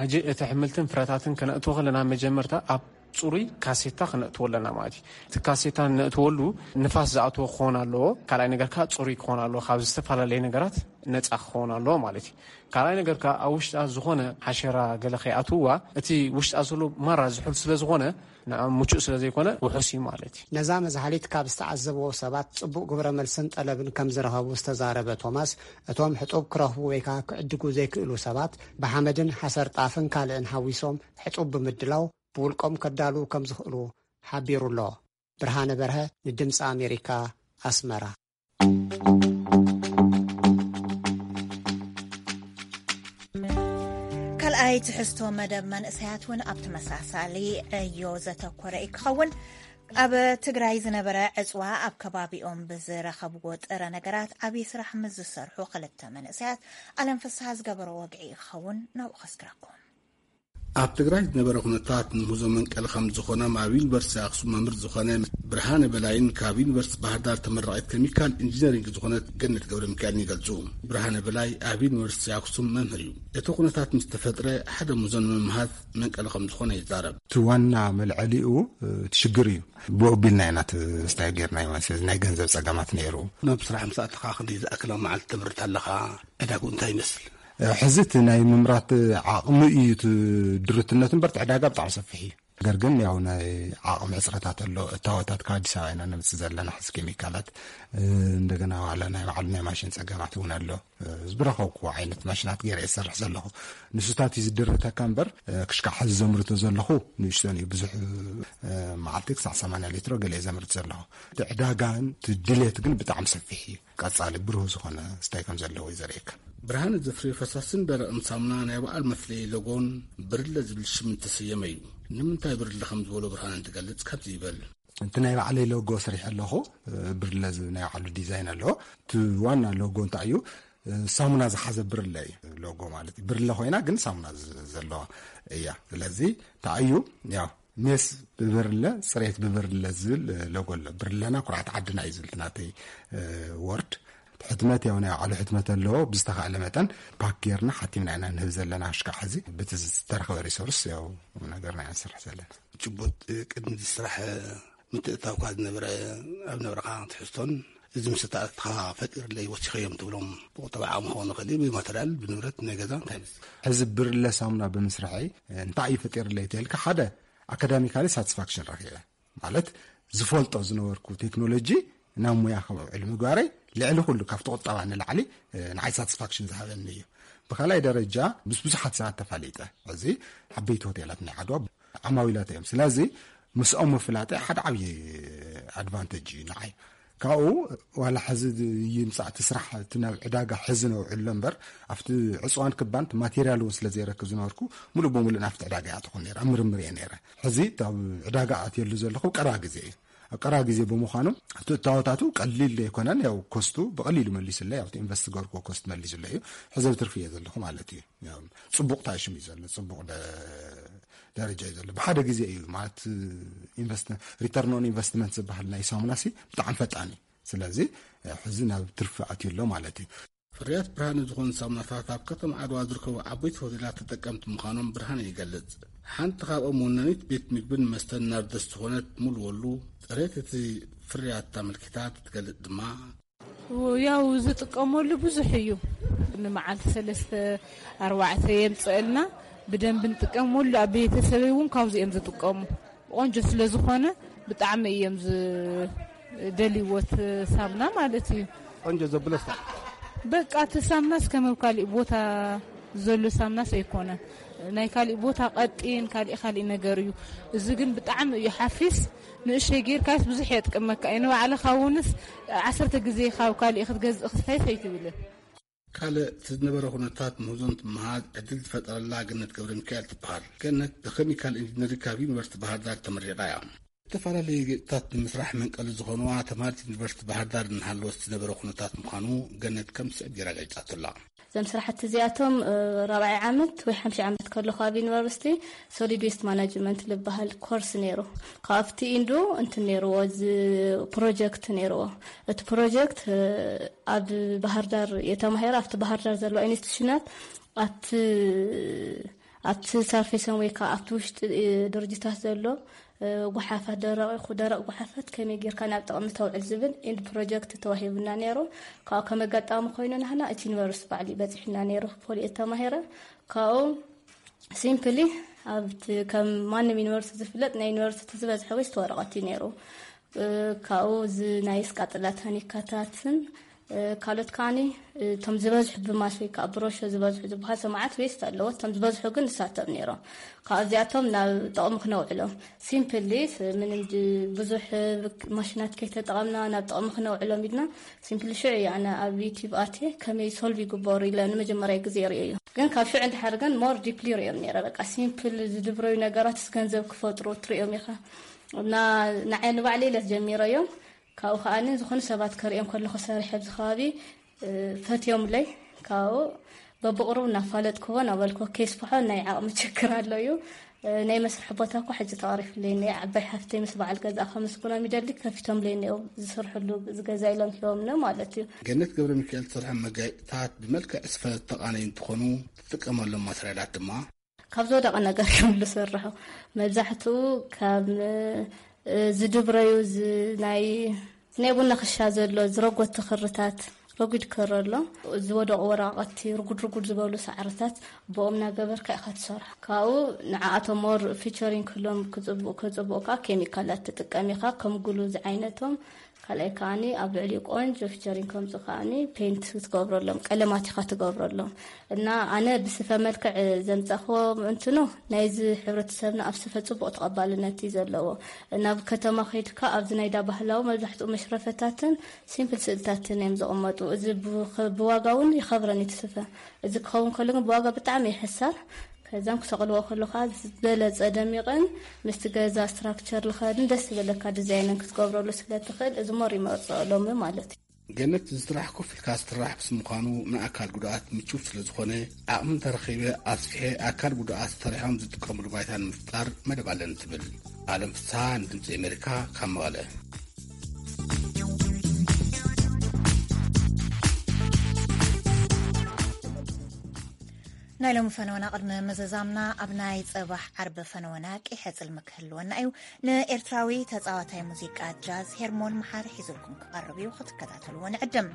ሕጂ እቲ ኣሕምልትን ፍረታትን ከነእትዎ ከለና መጀመርታ ኣብ ጽሩይ ካሴታ ክነእትዎ ኣለና ማለት እዩ። እቲ ካሴታ ነእትወሉ ንፋስ ዝኣትዎ ክኸውን ኣለዎ። ካልኣይ ነገር ከኣ ጽሩይ ክኸውን ኣለዎ። ካብ ዝተፈላለየ ነገራት ነጻ ክኸውን ኣለዎ ማለት እዩ። ካልኣይ ነገር ከኣ ኣብ ውሽጣ ዝኾነ ሓሸራ ገለ ከይኣትውዋ፣ እቲ ውሽጣ ዘሎ ማራ ዝሑል ስለ ዝኾነ ንዓ ምቹእ ስለ ዘይኮነ ውሑስ እዩ ማለት እዩ። ነዛ መዝሓሊት ካብ ዝተዓዘብዎ ሰባት ጽቡቕ ግብረ መልስን ጠለብን ከም ዝረኸቡ ዝተዛረበ ቶማስ፣ እቶም ሕጡብ ክረኽቡ ወይ ከኣ ክዕድጉ ዘይክእሉ ሰባት ብሓመድን ሓሰር ጣፍን ካልእን ሓዊሶም ሕጡብ ብምድላው ብውልቆም ከዳልዉ ከም ዝኽእሉ ሓቢሩ ኣሎ። ብርሃነ በርሀ ንድምፂ ኣሜሪካ ኣስመራ። ካልኣይ ትሕዝቶ መደብ መንእሰያት እውን ኣብ ተመሳሳሊ ዕዮ ዘተኮረ እዩ ክኸውን። ኣብ ትግራይ ዝነበረ ዕፅዋ ኣብ ከባቢኦም ብዝረኸብዎ ጥረ ነገራት ዓብዪ ስራሕ ምስ ዝሰርሑ ክልተ መንእሰያት ኣለም ፍስሃ ዝገበሮ ወግዒ ክኸውን ናብኡ ከስግረኩም። ኣብ ትግራይ ዝነበረ ኩነታት ንምህዞ መንቀሊ ከም ዝኾነ ኣብ ዩኒቨርሲቲ ኣክሱም መምህር ዝኾነ ብርሃነ በላይን ካብ ዩኒቨርሲቲ ባህር ዳር ተመራቒት ኬሚካል ኢንጂነሪንግ ዝኾነት ገነት ገብረ ሚካኤልን ይገልጹ። ብርሃነ በላይ ኣብ ዩኒቨርሲቲ ኣክሱም መምህር እዩ። እቲ ኩነታት ምስ ተፈጥረ ሓደ ምህዞ ንምምሃዝ መንቀሊ ከም ዝኾነ ይዛረብ። እቲ ዋና መልዐሊኡ እቲ ሽግር እዩ። ብኡ ኣቢልና ኢና እቲ ስታይ ጌርናዮ ማለት እዩ። ናይ ገንዘብ ጸገማት ነይሩ። ናብ ስራሕ ምስ ኣተኻ ክንደይ ዝኣክል ኣብ መዓልቲ ተምርት ኣለኻ? ዕዳግኡ እንታይ ይመስል? ሕዚ እቲ ናይ ምምራት ዓቕሚ እዩ እቲ ድርትነት እምበር፣ እቲ ዕዳጋ ብጣዕሚ ሰፊሕ እዩ። ነገር ግን ያው ናይ ዓቕሚ ሕፅረታት ኣሎ። እታወታት ካብ ኣዲስ ኣበባ ኢና ነምፅእ ዘለና ሕዚ ኬሚካላት፣ እ፣ እንደገና ዋላ ናይ ባዕሉ ናይ ማሽን ፀገማት እውን ኣሎ። እ፣ ዝረኸብኩዎ ዓይነት ማሽናት ገይረ እየ ዝሰርሕ ዘለኹ። ንሱታት እዩ ዝድርተካ እምበር፣ እ፣ ክሽካዕ ሕዚ ዘምርቶ ዘለኹ ንእሽቶን እዩ። ብዙሕ፣ እ፣ መዓልቲ ክሳዕ ሰማንያ ሊትሮ ገለ እየ ዘምርት ዘለኹ። እቲ ዕዳጋን እቲ ድሌት ግን ብጣዕሚ ሰፊሕ እዩ። ቀጻሊ ብሩህ ዝኾነ ስታይ ከም ዘለዎ እዩ ዘርእየካ። ብርሃነ ዘፍርዮ ፈሳስን ደረቕን ሳሙና ናይ በዓል መፍለዪ ሎጎን ብርለ ዝብል ሽም እንተሰየመ እዩ። ንምንታይ ብርለ ከም ዝበሎ ብርሃነ እንትገልጽ ከምዚ ይበል። እቲ ናይ ባዕለይ ሎጎ ሰሪሐ ኣለኹ። ብርለ ዝብል ናይ ባዕሉ ዲዛይን ኣለዎ። እቲ ዋና ሎጎ እንታይ እዩ? ሳሙና ዝሓዘ ብርለ እዩ ሎጎ ማለት እዩ። ብርለ ኮይና ግን ሳሙና ዝ-፣ ዘለዋ እያ። ስለዚ እንታይ እዩ? ያው ሜስ ብብርለ፣ ጽሬት ብብርለ ዝብል፣ እ፣ ሎጎ ኣሎ። ብርለና ኩርዓት ዓድና እዩ ዝብል እቲ ናተይ፣ እ፣ ወርድ። ሕትመት ያው ናይ ባዕሉ ሕትመት ኣለዎ። ብዝተኻእለ መጠን ፓክ ጌርና ሓቲምና ኢና ንህብ ዘለና። ክሽካዕ ሕዚ ብቲ ዝተረኸበ ሪሶርስ ያው ነገርና ኢና ንሰርሕ ዘለና። ጭቡጥ፣ እ፣ ቅድሚ እዚ ስራሕ፣ እ፣ ምትእትታውካ ዝነበረ፣ ኣብ ነበረኻ ትሕዝቶን እዚ ምስ እተኣትኻ ፈጢርለይ ወሲኸዮም ትብሎም ብቁጠባ ዓቕሚ ክኸውን ይኽእል እዩ፣ ብማተርያል፣ ብንብረት፣ ናይ ገዛ እንታይ ይመስል? ሕዚ ብርለ ሳሙና ብምስርሐይ እንታይ እዩ ፈጢርለይ ተልካ፣ ሓደ ኣካዳሚካሊ ሳቲስፋክሽን ረኺበ። ማለት ዝፈልጦ ዝነበርኩ ቴክኖሎጂ ናብ ሙያ ከም ውዕል ምግባረይ ልዕሊ ኩሉ ካብቲ ቁጠባ ንላዕሊ፣ እ፣ ንዓይ ሳቲስፋክሽን ዝሃበኒ እዩ። ብኻልኣይ ደረጃ ምስ ብዙሓት ሰባት ተፋሊጠ። እዚ ዓበይቲ ሆቴላት ናይ ዓድዋ ዓማዊላት እዮም። ስለዚ ምስኦም ምፍላጠይ ሓደ ዓብዪ ኣድቫንቴጅ እዩ ንዓይ። ካብኡ ዋላ ሕዚ ይምፃእ እቲ ስራሕ፣ እቲ ናብ ዕዳጋ ሕዚ ነውዕሎ እምበር፣ ኣብቲ ዕፅዋን ክባን እቲ ማቴሪያል እውን ስለ ዘይረክብ ዝነበርኩ፣ ሙሉእ ብሙሉእ ናብቲ ዕዳጋ እያ ትኾን ነይራ፣ ኣብ ምርምር እየ ነይረ። ሕዚ እቲ ኣብ ዕዳጋ ኣትየሉ ዘለኹ ቀረባ ግዜ እዩ። ኣብ ቀረባ ግዜ ብምዃኑ እቲ እታወታቱ ቀሊል ዘይኮነን፣ ያው ኮስቱ ብቐሊሉ መሊሱለይ፣ ኣብቲ ኢንቨስት ገርኩዎ ኮስት መሊሱለይ እዩ። ሕዚ ኣብ ትርፊ እየ ዘለኹ ማለት እዩ። ያው ፅቡቕ ታሽም እዩ ዘሎ፣ ፅቡቕ ደ-፣ ደረጃ እዩ ዘሎ። ብሓደ ግዜ እዩ ማለት ኢንቨስት-፣ ሪተርን ኦን ኢንቨስትመንት ዝበሃል ናይ ሳሙናሲ ብጣዕሚ ፈጣን እዩ። ስለዚ ሕዚ ናብ ትርፊ ኣትዩ ኣሎ ማለት እዩ። ፍርያት ብርሃን ዝኾኑ ሳሙናታት ኣብ ከተማ ዓድዋ ዝርከቡ ዓበይቲ ሆቴላት ተጠቀምቲ ምዃኖም ብርሃን ይገልጽ። ሓንቲ ካብኦም ወናኒት ቤት ምግብን መስተን ናርደስ ዝኾነት ሙሉ ወሉ፣ ጽሬት እቲ ፍርያት ኣመልኪታ ትገልጽ ድማ፣ ያው ዝጥቀመሉ ብዙሕ እዩ። ንመዓልቲ ሰለስተ ኣርባዕተ የምፅእልና፣ ብደንብ ንጥቀመሉ። ኣብ ቤተሰበይ እውን ካብዚ እዮም ዝጥቀሙ። ቆንጆ ስለ ዝኾነ ብጣዕሚ እዮም ዝደልይዎ እቲ ሳምና ማለት እዩ። ቆንጆ ዘብለስ በቃ እቲ ሳምናስ ከም ኣብ ካሊእ ቦታ ዘሎ ሳምናስ ኣይኮነን። ናይ ካሊእ ቦታ ቀጢን ካሊእ ካሊእ ነገር እዩ። እዚ ግን ብጣዕሚ እዩ ሓፊስ። ንእሽተይ ጌርካስ ብዙሕ የጥቀመካ እዩ። ንባዕልኻ እውንስ ዓሰርተ ግዜ ካብ ካሊእ ክትገዝእ ክስታይስ ኣይትብልን። ካልእ እቲ ዝነበረ ኩነታት ምህዞን ትመሃዝ ዕድል ዝፈጠረላ ገነት ገብረ ሚካኤል ትበሃል። ገነት ብኬሚካል ኢንጂነሪንግ ካብ ዩኒቨርሲቲ ባህር ዳር ተመሪቓ እያ። ዝተፈላለዩ ጌጥታት ንምስራሕ መንቀሊ ዝኾንዋ ተምሃርቲ ዩኒቨርሲቲ ባህር ዳር እናሃለወት ዝነበረ ኩነታት ምዃኑ ገነት ከም ዝስዕብ ጌራ ገሊጻቶ ኣላ። እዞም ስራሕቲ እዚኣቶም፣ እ፣ ራብዓይ ዓመት ወይ ሓምሻይ ዓመት ከለኹ ኣብ ዩኒቨርሲቲ ሶሊድ ዌስት ማናጅመንት ዝበሃል ኮርስ ነይሩ። ካብቲ ኢንዱ እንትን ነይርዎ፣ እዚ ፕሮጀክት ነይርዎ። እቲ ፕሮጀክት፣ እ፣ ኣብ ባህር ዳር የተማሂረ፣ ኣብቲ ባህር ዳር ዘለዋ ኢንስቲትዩሽናት ኣብቲ ኣብቲ ሰርፌሶም ወይ ከዓ ኣብቲ ውሽጢ፣ እ፣ ድርጅታት ዘሎ፣ እ፣ ጓሓፋት፣ ደረቕ ይኹ-፣ ደረቕ ጓሓፋት ከመይ ጌርካ ናብ ጥቕሚ ተውዕል ዝብል ኢንድ ፕሮጀክት ተዋሂቡና ነይሩ። ካብኡ ከም ኣጋጣሚ ኮይኑ ናህና እቲ ዩኒቨርሲቲ ባዕሉ በፂሑና ነይሩ። ፖሊ ተማሂረ ካብኡ ሲምፕሊ ኣብቲ ከም ማንም ዩኒቨርሲቲ ዝፍለጥ ናይ ዩኒቨርሲቲ ዝበዝሐ ዌስት ወረቐት እዩ ነይሩ። እ፣ ካብኡ እዚ ናይ ስቃጥላ ታኒካታትን፣ እ፣ ካልኦት ከዓኒ፣ እ፣ እቶም ዝበዝሑ ብማስ ወይ ከዓ ብሮሾ ዝበዝሑ ዝበሃል ሰማዓት ዌስት ኣለዎ። እቶም ዝበዝሑ ግን ንሳቶም ነይሮም። ካብዚኣቶም ናብ ጥቕሚ ክነውዕሎም ሲምፕሊ ስ-፣ ምንም ድ-፣ ብዙሕ፣ እ፣ ማሽናት ከይተጠቐምና ናብ ጥቕሚ ክነውዕሎም ኢልና ሲምፕሊ ሽዑ እዩ ኣነ ኣብ ዩቲዩብ ኣትየ ከመይ ሶልቭ ይግበሩ ኢለ ንመጀመርያ ግዜ ርእዮ እዩ። ግን ካብ ሽዑ እንድሓር ግን ሞር ዲፕሊ ርእዮም ነይረ። በቃ ሲምፕል ዝድብረዩ ነገራት ስ ገንዘብ ክፈጥሩ ትርእዮም ኢኻ። እና ንዓይ ንባዕለይ ኢለ ጀሚረዮም። ካብኡ ከኣ ዝኾኑ ሰባት ከርእዮም ከለኹ ሰሪሐ ኣብዚ ከባቢ፣ እ፣ ፈትዮምለይ። ካብኡ በብቕሩብ እናፋለጥክዎ እናበልኩ ከይስፍሖ ናይ ዓቕሚ ችግር ኣሎ እዩ። እ፣ ናይ መስርሒ ቦታ እኮ ሕጂ ተቐሪፍለይ እኒኦ። ዓባይ ሓፍተይ ምስ በዓል ገዛኣ ከመስግኖም ይደሊ፣ ከፊቶምለይ እኒኦ ዝሰርሕሉ እዚ ገዛ ኢሎም ሂቦምኒ ማለት እዩ። ገነት ገብረ ሚካኤል ትሰርሖም መጋየፅታት ብመልክዕ ስፈ ዝተቓነዩ እንትኾኑ ትጥቀመሎም ማተርያላት ድማ ካብ ዝወደቐ ነገር እዮም ዝስርሑ። መብዛሕትኡ ካብ፣ እ፣ ዝድብረዩ ዝ-፣ ናይ፣ ናይ ቡና ክሻ ዘሎ ዝረጎቲ ክርታት፣ ረጒድ ክሪ ኣሎ። ዝወደቑ ወረቓቕቲ፣ ርጉድ ርጉድ ዝበሉ ሳዕርታት ብኦም እናገበርካ ኢኻ ትሰርሖ። ካብኡ ንዓኣቶም ሞር ፊቸሪንግ ክህሎም ክጽብቑ፣ ክጽብቑ ከኣ ኬሚካላት ትጥቀም ኢኻ፣ ከም ግሉ ዝዓይነቶም። ካልኣይ ከኣኒ ኣብ ልዕሊኡ ቆንጆ ፊቸሪንግ ከምጽኡ ከኣኒ ፔንት ትገብረሎም፣ ቀለማት ኢኻ ትገብረሎም። እና ኣነ ብስፈ መልክዕ ዘምጻእክዎ እንትኑ ናይዚ ሕብረተሰብና ኣብ ስፈ ጽቡቕ ተቐባልነት እዩ ዘለዎ። ናብ ከተማ ከይድካ ኣብዚ ናይ ዳ ባህላዊ መብዛሕትኡ መሽረፈታትን ሲምፕል ስእልታትን እዮም ዝቕመጡ። እዚ ብ-፣ ብዋጋ እውን ይኸብረን እዩ እቲ ስፈ። እዚ ክኸውን ከሎ ግን ብዋጋ ብጣዕሚ ይሕሰር። ከዛም ክሰቕልዎ ከለኻ ዝበለጸ ደሚቕን ምስቲ ገዛ ስትራክቸር ልኸድን ደስ ዝበለካ ዲዛይንን ክትገብረሉ ስለ ትኽእል እዚ ሞር ይመርጸኦ ሎሚ ማለት እዩ። ገነት እዚ ስራሕ ኮፍ ኢልካ ዝስራሕ ምስ ምዃኑ ንኣካል ጉድኣት ምቹው ስለ ዝኾነ ዓቕሚ እንተረኺበ ኣስፊሐ ኣካል ጉድኣት ሰሪሖም ዝጥቀምሉ ባይታ ንምፍጣር መደብ ኣለኒ ትብል። ኣለም ፍስሃ ንድምፂ ኣሜሪካ ካብ መቐለ። ናይ ሎሚ ፈነወና ቅድሚ ምዝዛምና ኣብ ናይ ጽባሕ ዓርቢ ፈነወና ቀይሕ ጽልሚ ክህልወና እዩ። ንኤርትራዊ ተጻዋታይ ሙዚቃ ጃዝ ሄርሞን መሓሪ ሒዙልኩም ክቐርብ እዩ፣ ክትከታተልዎ ንዕድም።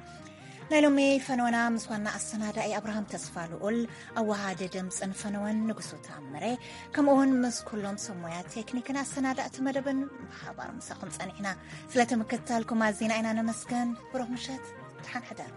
ናይ ሎሚ ፈነወና ምስ ዋና ኣሰናዳኢ ኣብርሃም ተስፋ ልኡል፣ ኣወሃዲ ድምጽን ፈነወን ንጉሱ ታምረ፣ ከምኡውን ምስ ኩሎም ሰብ ሞያ ቴክኒክን ኣሰናዳእቲ መደብን ብሓባር ምሳኹም ጸኒሕና። ስለቲ ምክትታልኩም ኣዚና ኢና ነመስገን። ብሩኽ ምሸት፣ ደሓን ሕደሩ።